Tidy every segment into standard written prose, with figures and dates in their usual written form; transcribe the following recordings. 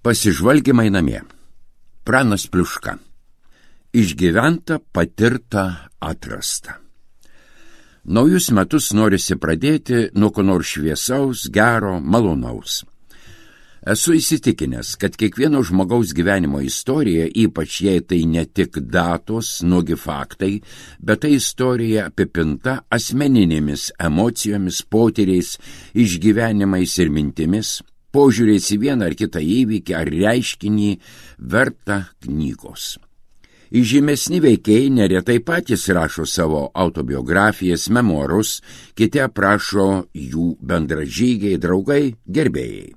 Pasižvalgymai namie. Pranas Pliuška. Išgyventa, patirta, atrasta. Naujus metus norisi pradėti nuo ko nors šviesaus, gero, malonaus. Esu įsitikinęs, kad kiekvieno žmogaus gyvenimo istorija, ypač jei tai ne tik datos, nuogi faktai, bet tai istorija apipinta asmeninėmis emocijomis, potyriais, išgyvenimais ir mintimis, požiūrės į vieną ar kitą įvykį ar reiškinį verta knygos. Įžymesni veikėjai neretai patys rašo savo autobiografijas, memuarus, kiti aprašo jų bendražygiai, draugai, gerbėjai.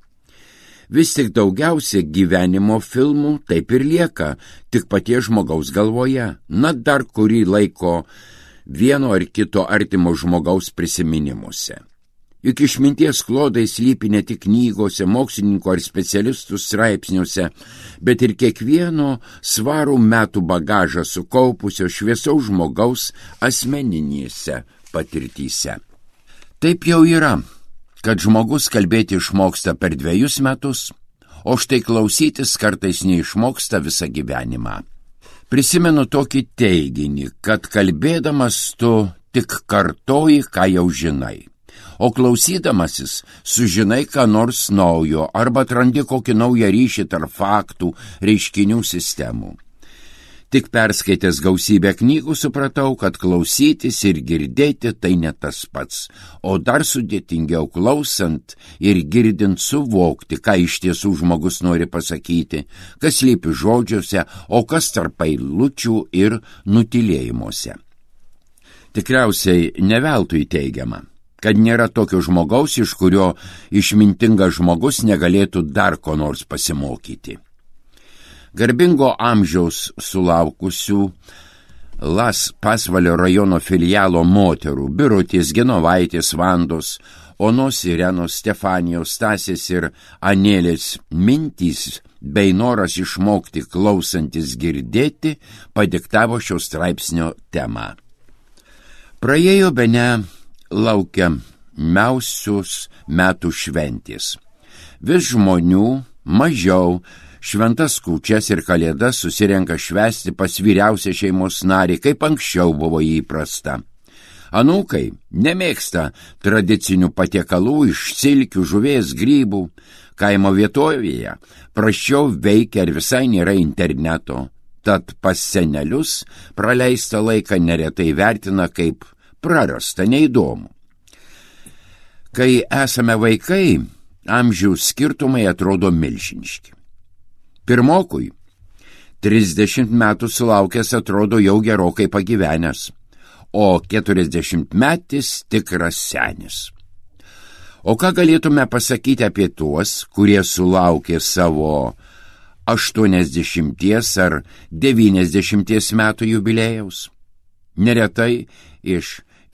Vis tik daugiausia gyvenimo filmų taip ir lieka, tik paties žmogaus galvoje, dar kurį laiko vieno ar kito artimo žmogaus prisiminimuose. Juk išminties klodai slypi ne tik knygose, mokslininkų ar specialistų straipsniuose, bet ir kiekvieno svarų metų bagažą sukaupusio šviesaus žmogaus asmeninėse patirtyse. Taip jau yra, kad žmogus kalbėti išmoksta per 2 metus, o štai klausytis kartais neišmoksta visą gyvenimą. Prisimenu tokį teiginį, kad kalbėdamas tu tik kartoji, ką jau žinai. O klausydamasis sužinai ką nors naujo arba atrandi kokį naują ryšį tarp faktų, reiškinių sistemų. Tik perskaitęs gausybę knygų supratau, kad klausytis ir girdėti tai ne tas pats, o dar sudėtingiau klausant ir girdint suvokti, ką iš tiesų žmogus nori pasakyti, kas slypi žodžiuose, o kas tarp eilučių ir nutylėjimuose. Tikriausiai ne veltui teigiama, kad nėra tokio žmogaus, iš kurio išmintingas žmogus negalėtų dar ko nors pasimokyti. Garbingo amžiaus sulaukusių Las Pasvalio rajono filialo moterų Birutės, Genovaitės, Vandos, Onos, Irenos, Stefanijos, Stasės ir Anėlės mintys bei noras išmokti klausantis girdėti padiktavo šio straipsnio temą. Praėjo bene laukiamiausius metų šventės. Vis žmonių mažiau šventas kūčias ir kalėdas susirenka švęsti pas vyriausią šeimos narį, kaip anksčiau buvo įprasta. Anūkai nemėgsta tradicinių patiekalų iš silkių, žuvies, grybų. Kaimo vietovėje prasčiau veikia ir visai nėra interneto, tad pas senelius praleistą laiką neretai vertina kaip prarasta, neįdomu. Kai esame vaikai, amžiaus skirtumai atrodo milžiniški. Pirmokui 30 metų sulaukęs atrodo jau gerokai pagyvenęs, o 40-metis tikras senis. O ką galėtume pasakyti apie tuos, kurie sulaukė savo 80 ar 90 metų jubiliejaus? Neretai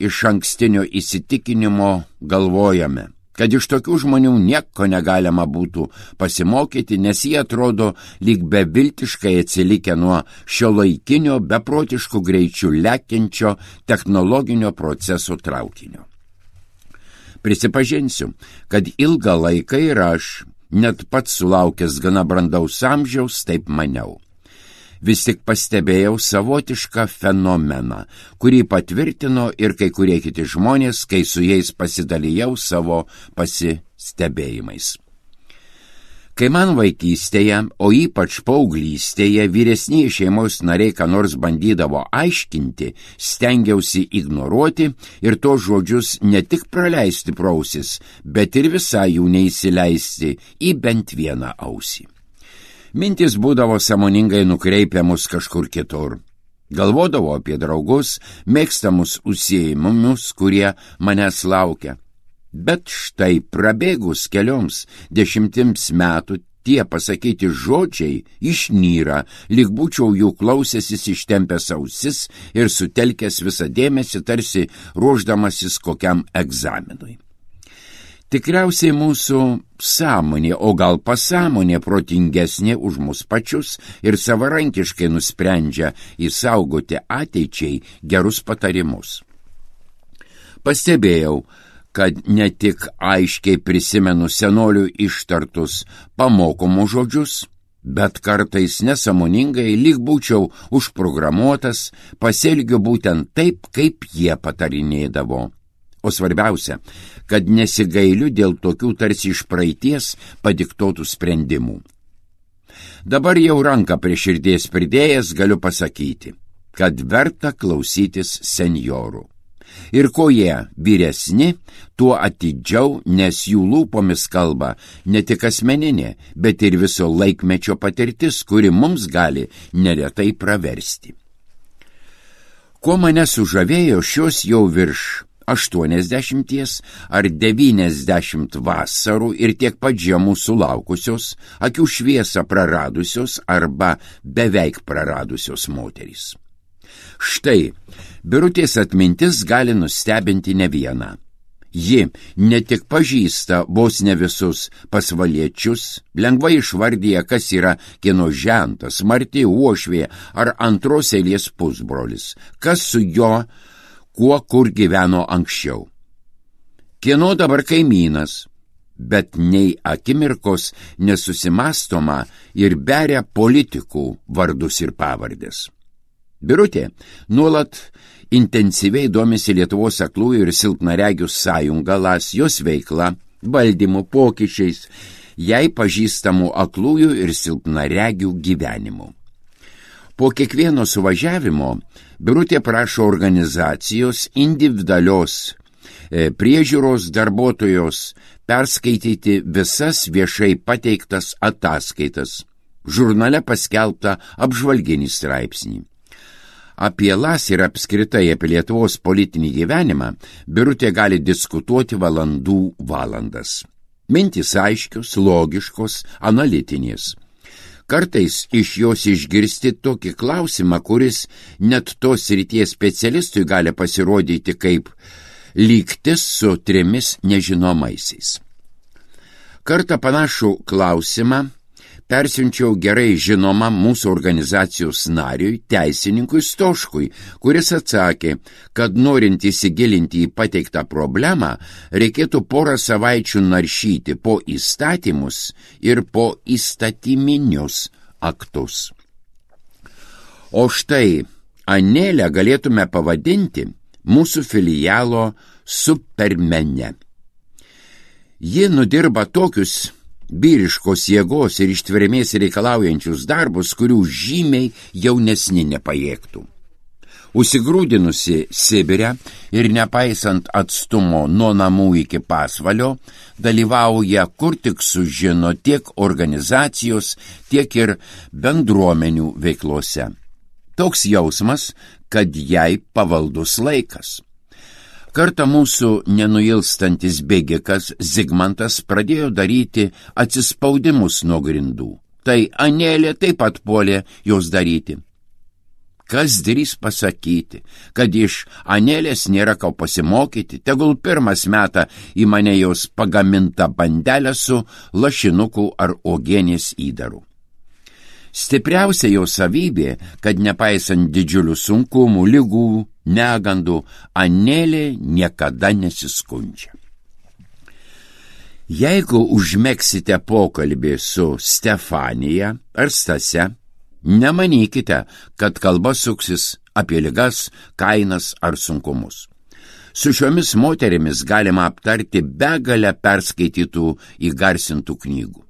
iš ankstinio įsitikinimo galvojame, kad iš tokių žmonių nieko negalima būtų pasimokyti, nes jie atrodo lyg beviltiškai atsilikę nuo šiuolaikinio beprotiškų greičių lekiančio technologinio proceso traukinio. Prisipažinsiu, kad ilgą laiką ir aš, net pats sulaukęs gana brandaus amžiaus, taip maniau. Vis tik pastebėjau savotišką fenomeną, kurį patvirtino ir kai kurie kiti žmonės, kai su jais pasidalijau savo pasistebėjimais. Kai man vaikystėje, o ypač paauglystėje, vyresniai šeimos nariai ką nors bandydavo aiškinti, stengiausi ignoruoti ir tos žodžius ne tik praleisti pro ausis, bet ir visai jų neįsileisti į bent vieną ausį. Mintis būdavo sąmoningai nukreipiamus kažkur kitur. Galvodavau apie draugus, mėgstamus užsiėmimus, kurie manęs laukia. Bet štai prabėgus kelioms 10 metų tie pasakyti žodžiai išnyra, lyg būčiau jų klausęsis ištempęs ausis ir sutelkęs visą dėmesį, tarsi ruošdamasis kokiam egzaminui. Tikriausiai mūsų sąmonė, o gal pasąmonė protingesnė už mus pačius ir savarankiškai nusprendžia įsaugoti ateičiai gerus patarimus. Pastebėjau, kad ne tik aiškiai prisimenu senolių ištartus pamokomus žodžius, bet kartais nesąmoningai, lyg būčiau užprogramuotas, pasielgiu būtent taip, kaip jie patarinėdavo. O svarbiausia, kad nesigailiu dėl tokių tarsi iš praeities padiktotų sprendimų. Dabar jau ranką prie širdies pridėjęs galiu pasakyti, kad verta klausytis senjorų. Ir kuo jie vyresni, tuo atidžiau, nes jų lūpomis kalba ne tik asmeninė, bet ir viso laikmečio patirtis, kuri mums gali neretai praversti. Kuo mane sužavėjo šios jau virš 80 ar 90 vasarų ir tiek pat žiemų sulaukusios, akių šviesą praradusios arba beveik praradusios moterys. Štai, Birutės atmintis gali nustebinti ne vieną. Ji ne tik pažįsta vos ne visus pasvaliečius, lengvai išvardyja, kas yra kieno žentas, Marti, uošvė ar antros eilės pusbrolis, kas su jo, kuo kur gyveno anksčiau. Kieno dabar kaimynas, bet nei akimirkos nesusimastoma ir beria politikų vardus ir pavardės. Birutė nuolat intensyviai domisi Lietuvos aklųjų ir silpnaregių sąjunga LAS, jos veikla, valdymu, pokyčiais, jai pažįstamų aklųjų ir silpnaregių gyvenimu. Po kiekvieno suvažiavimo Birutė prašo organizacijos individualios priežiūros darbuotojos perskaityti visas viešai pateiktas ataskaitas, žurnale paskelbtą apžvalginį straipsnį. Apie LAS ir apskritai apie Lietuvos politinį gyvenimą Birutė gali diskutuoti valandas. Mintys aiškios, logiškos, analitinės. Kartais iš jos išgirsti tokį klausimą, kuris net tos srities specialistui gali pasirodyti kaip lygtis su 3 nežinomaisiais. Kartą panašų klausimą persiunčiau gerai žinomam mūsų organizacijos nariui, teisininkui Stoškui, kuris atsakė, kad norint įsigilinti į pateiktą problemą, reikėtų porą savaičių naršyti po įstatymus ir po įstatyminius aktus. O štai Anelę galėtume pavadinti mūsų filialo supermene. Ji nudirba tokius vyriškos jėgos ir ištvermės reikalaujančius darbus, kurių žymiai jaunesni nepajėgtų. Užsigrūdinusi Sibire ir nepaisant atstumo nuo namų iki pasvalio, dalyvauja kur tik sužino tiek organizacijos, tiek ir bendruomenių veiklose. Toks jausmas, kad jai pavaldus laikas. Kartą mūsų nenuilstantis bėgikas Zigmantas pradėjo daryti atsispaudimus nuo grindų. Tai Anelė taip pat puolė jos daryti. Kas drįs pasakyti, kad iš Anelės nėra ką pasimokyti, tegul pirmas meta į mane jos pagamintą bandelę su lašinukų ar uogienės įdaru. Stipriausia jo savybė, kad nepaisant didžiulių sunkumų, ligų, negandų, Anelė niekada nesiskundžia. Jeigu užmegsite pokalbį su Stefanija ar Stase, nemanykite, kad kalba suksis apie ligas, kainas ar sunkumus. Su šiomis moterimis galima aptarti begalę perskaitytų įgarsintų knygų.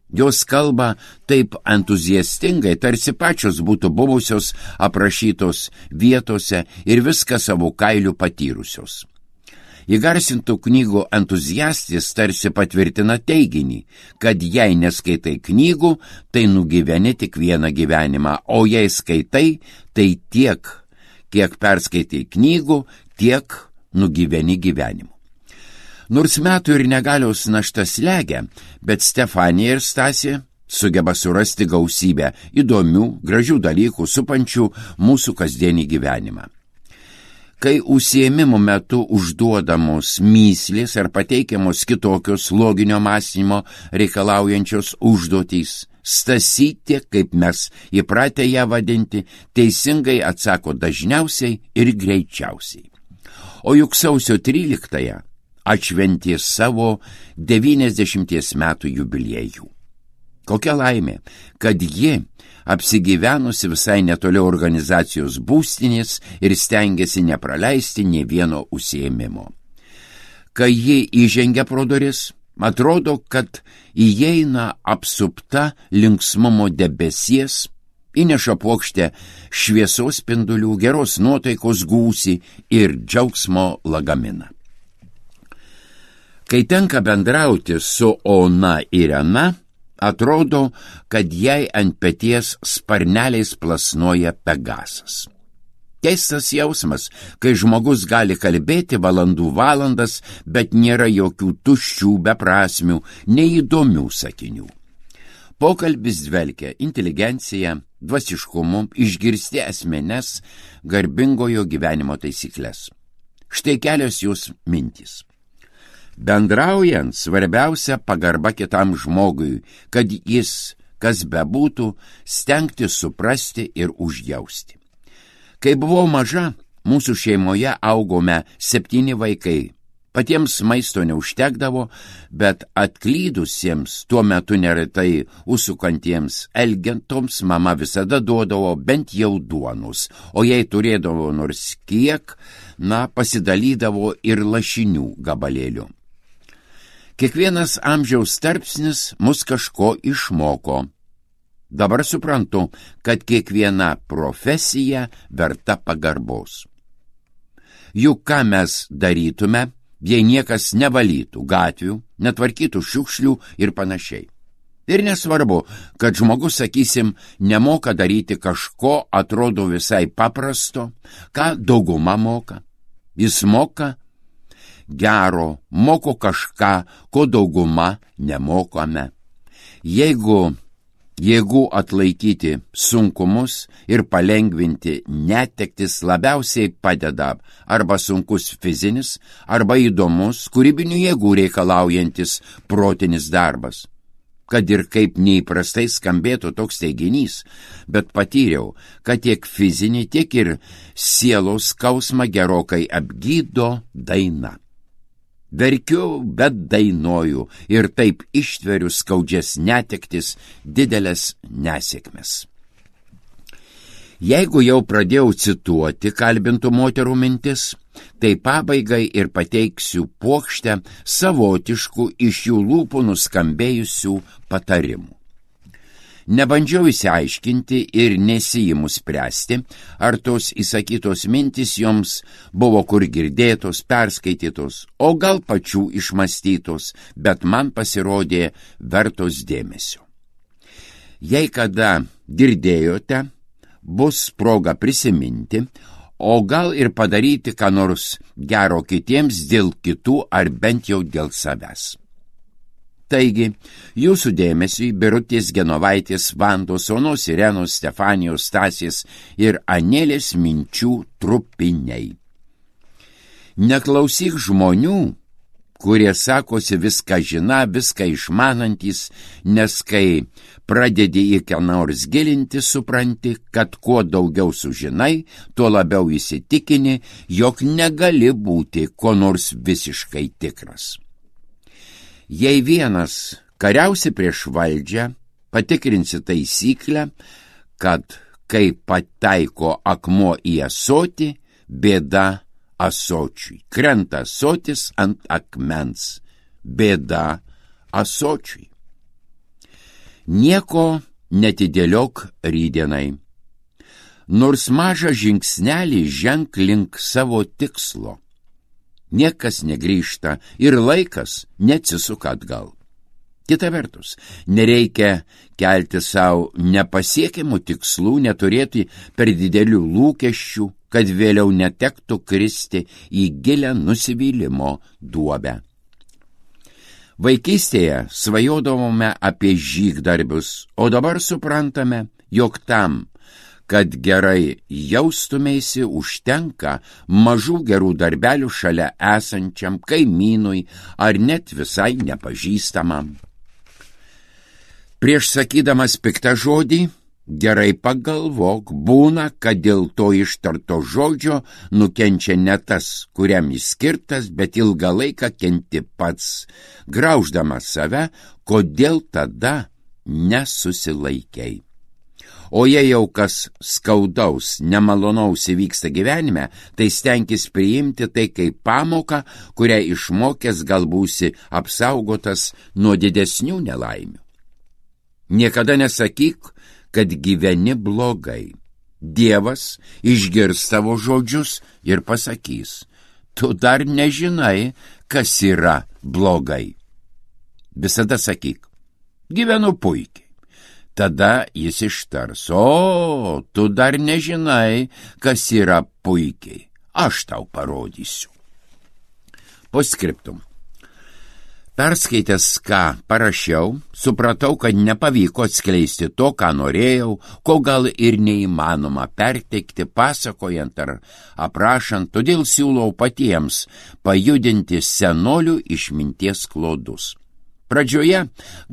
Jos kalba taip entuziastingai, tarsi pačios būtų buvusios aprašytos vietose ir viską savo kailiu patyrusios. Įgarsintų knygų entuziastis tarsi patvirtina teiginį, kad jei neskaitai knygų, tai nugyveni tik vieną gyvenimą, o jei skaitai, tai tiek, kiek perskaitai knygų, tiek nugyveni gyvenimu. Nors metų ir negalios našta slegia, bet Stefanija ir Stasė sugeba surasti gausybę įdomių, gražių dalykų supančių mūsų kasdienį gyvenimą. Kai užsiėmimo metu užduodamos mįslės ar pateikiamos kitokios loginio mąstymo reikalaujančios užduotys, Stasytė, kaip mes įpratę ją vadinti, teisingai atsako dažniausiai ir greičiausiai. O juk sausio 13-ąją atšventė savo 90 metų jubiliejų. Kokia laimė, kad ji, apsigyvenusi visai netoli organizacijos būstinės ir stengiasi nepraleisti nė vieno užsiėmimo. Kai ji įžengia pro duris, atrodo, kad įeina apsupta linksmumo debesies, įneša puokštę šviesos spindulių, geros nuotaikos gūsį ir džiaugsmo lagaminą. Kai tenka bendrauti su Ona Irena, atrodo, kad jai ant peties sparneliais plasnoja Pegasas. Keistas jausmas, kai žmogus gali kalbėti valandų valandas, bet nėra jokių tuščių, beprasmių, neįdomių sakinių. Pokalbis dvelkia inteligencija, dvasiškumu, išgirsti asmenes, garbingojo gyvenimo taisyklės. Štai kelios jos mintys. Bendraujant, svarbiausia pagarba kitam žmogui, kad jis, kas bebūtų, stengti suprasti ir užjausti. Kai buvau maža, mūsų šeimoje augome 7 vaikai. Patiems maisto neužtekdavo, bet atklydusiems, tuo metu neretai užsukantiems elgentoms mama visada duodavo bent jau duonos, o jei turėdavo nors kiek, pasidalydavo ir lašinių gabalėlių. Kiekvienas amžiaus tarpsnis mus kažko išmoko. Dabar suprantu, kad kiekviena profesija verta pagarbos. Juk ką mes darytume, jei niekas nevalytų gatvių, netvarkytų šiukšlių ir panašiai. Ir nesvarbu, kad žmogus, sakysim, nemoka daryti kažko, atrodo visai paprasto, ką dauguma moka. Jis moka gero, moko kažką, ko dauguma nemokame. Jeigu jėgų atlaikyti sunkumus ir palengvinti netektis labiausiai padeda arba sunkus fizinis, arba įdomus, kūrybinių jėgų reikalaujantis protinis darbas. Kad ir kaip neįprastai skambėtų toks teiginys, bet patyriau, kad tiek fizinį, tiek ir sielos skausmą gerokai apgydo daina. Verkiu, bet dainuoju ir taip ištveriu skaudžias netektis, didelės nesėkmes. Jeigu jau pradėjau cituoti kalbintų moterų mintis, tai pabaigai ir pateiksiu puokštę savotiškų iš jų lūpų nuskambėjusių patarimų. Nebandžiau įsiaiškinti ir nesiimu spręsti, ar tos įsakytos mintis joms buvo kur girdėtos, perskaitytos, o gal pačių išmastytos, bet man pasirodė vertos dėmesio. Jei kada girdėjote, bus proga prisiminti, o gal ir padaryti ką nors gero kitiems dėl kitų ar bent jau dėl savęs. Taigi, jūsų dėmesiui Birutės Genovaitės, Vandos, Onos Irenos, Stefanijos, Stasės ir Anelės minčių trupiniai. Neklausyk žmonių, kurie sakosi viską žiną, viską išmanantys, nes kai pradedi į ką nors gilinti, supranti, kad kuo daugiau sužinai, tuo labiau įsitikini, jog negali būti ko nors visiškai tikras. Jei vienas kariausi prieš valdžią, patikrinsi taisyklę, kad kai pataiko akmuo į ąsotį, bėda ąsočiui. Krenta ąsotis ant akmens, bėda ąsočiui. Nieko netidėliok rytdienai. Nors mažą žingsnelį ženk link savo tikslo. Niekas negrįžta ir laikas neatsisuka atgal. Kita vertus, nereikia kelti savo nepasiekiamų tikslų, neturėti per didelių lūkesčių, kad vėliau netektų kristi į gilią nusivylimo duobę. Vaikystėje svajodavome apie žygdarbius, o dabar suprantame, jog tam, kad gerai jaustumėsi, užtenka mažų gerų darbelių šalia esančiam kaimynui ar net visai nepažįstamam. Prieš sakydamas piktą žodį, Gerai pagalvok, būna, kad dėl to ištarto žodžio nukenčia ne tas, kuriam jis skirtas, bet ilgą laiką kenti pats, grauždamas save, kodėl tada nesusilaikiai. O jei jau kas skaudaus, nemalonaus įvyksta gyvenime, tai stenkis priimti tai kaip pamoką, kurią išmokęs gal būsi apsaugotas nuo didesnių nelaimių. Niekada nesakyk, kad gyveni blogai. Dievas išgirs tavo žodžius ir pasakys, tu dar nežinai, kas yra blogai. Visada sakyk, gyvenu puikiai. Tada jis ištars, o, tu dar nežinai, kas yra puikiai. Aš tau parodysiu. Postscriptum. Perskaitęs, ką parašiau, supratau, kad nepavyko atskleisti to, ką norėjau, ko gal ir neįmanoma perteikti pasakojant ar aprašant, todėl siūlau patiems pajudinti senolių išminties klodus. Pradžioje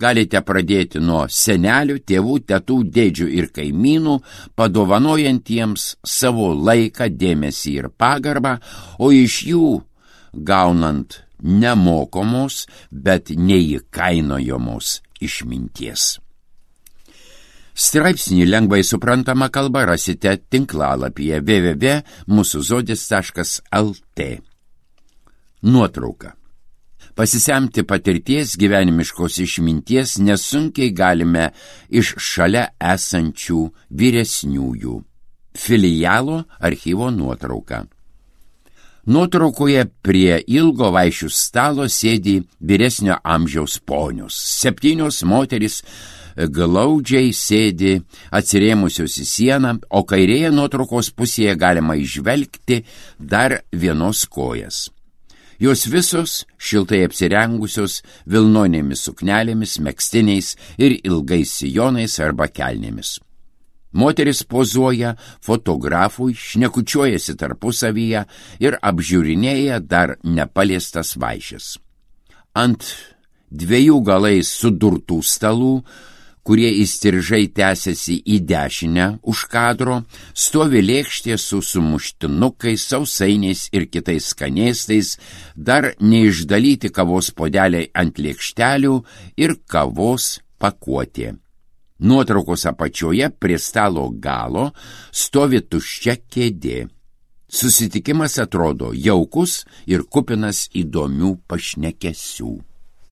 galite pradėti nuo senelių, tėvų, tetų, dėdžių ir kaimynų, padovanojantiems savo laiką, dėmesį ir pagarbą, o iš jų gaunant nemokomos, bet neįkainojamos išminties. Straipsnį lengvai suprantama kalba rasite tinklalapyje www.musuzodis.lt. Nuotrauka. Pasisemti patirties gyvenimiškos išminties nesunkiai galime iš šalia esančių vyresniųjų. Filialo archyvo nuotrauka. Nuotraukoje prie ilgo vaišių stalo sėdi vyresnio amžiaus ponios. 7 moterys glaudžiai sėdi atsirėmusios į sieną, o kairėje nuotraukos pusėje galima įžvelgti dar vienos kojas. Jos visos šiltai apsirengusios vilnonėmis suknelėmis, megztiniais ir ilgais sijonais arba kelnėmis. Moteris pozuoja fotografui, šnekučiuojasi tarpusavyje ir apžiūrinėja dar nepaliestas vaišes. Ant 2 galais sudurtų stalų, kurie įstrižai tęsiasi į dešinę už kadro, stovi lėkštė su sumuštinukais, sausainiais ir kitais skanėstais, dar neišdalyti kavos puodeliai ant lėkštelių ir kavos pakuotė. Nuotraukos apačioje prie stalo galo stovi tuščia kėdė. Susitikimas atrodo jaukus ir kupinas įdomių pašnekesių.